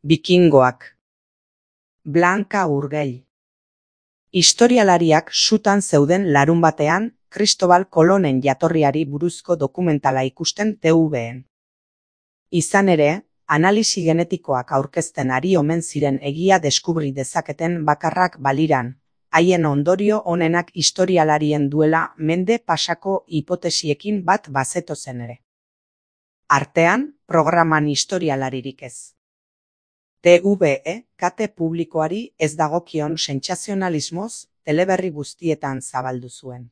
Bikingoak. Blanka Urgell. Historialariak sutan zeuden larunbatean Kristobal Kolonen jatorriari buruzko dokumentala ikusten TVN. Izan ere, analisi genetikoak aurkezten ari omen ziren egia deskubri dezaketen bakarrak baliran, haien ondorio onenak historialarien duela mende pasako hipotesiekin bat bazetozen ere. Artean, programan historialaririk ez. TVE, kate publikoari ez dagokion sentsazionalismoz teleberri guztietan zabaldu zuen.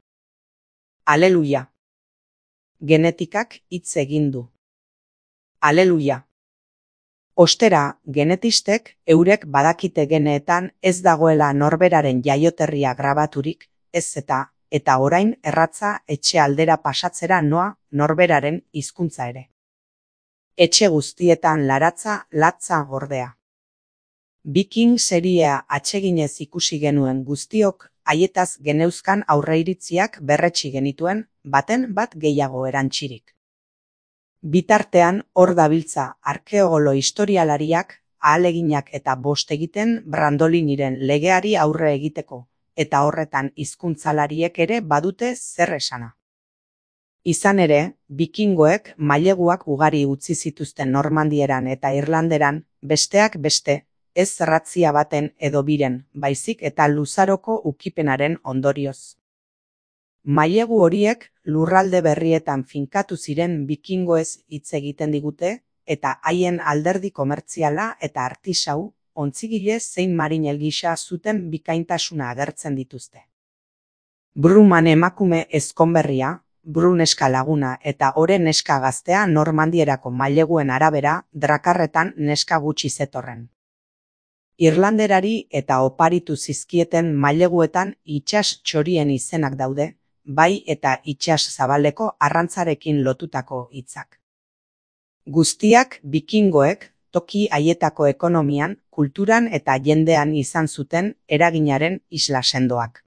Aleluia. Genetikak hitz egin du. Aleluia. Ostera, genetistek eurek badakite geneetan ez dagoela norberaren jaioterria grabaturik, ez eta orain erratza etxe aldera pasatzera noa norberaren hizkuntza ere. Etxe guztietan laratza latza gordea. Viking seriea atseginez ikusi genuen guztiok haietaz geneuzkan aurreiritziak berretsi genituen, baten bat gehiago erantzirik. Bitartean hor dabiltza arkeologo historialariak ahaleginak eta bost egiten Brandoliniren legeari aurre egiteko, eta horretan hizkuntzalariek ere badute zer esana. Izan ere, bikingoek maileguak ugari utzi zituzten Normandieran eta Irlanderan, besteak beste, ez ratzia baten edo biren, baizik eta luzaroko ukipenaren ondorioz. Mailegu horiek lurralde berrietan finkatu ziren bikingoez hitz egiten digute, eta haien alderdi komertziala eta artisau, ontzigile zein marinel gisa zuten bikaintasuna agertzen dituzte. Bruman emakume ezkonberria, Bru neska laguna eta Ore neska gaztea Normandierako maileguen arabera drakarretan neska gutxi zetorren. Irlanderari eta oparitu zizkieten maileguetan itsas txorien izenak daude, bai eta itsas zabaleko arrantzarekin lotutako hitzak. Guztiak bikingoek toki haietako ekonomian, kulturan eta jendean izan zuten eraginaren isla sendoak.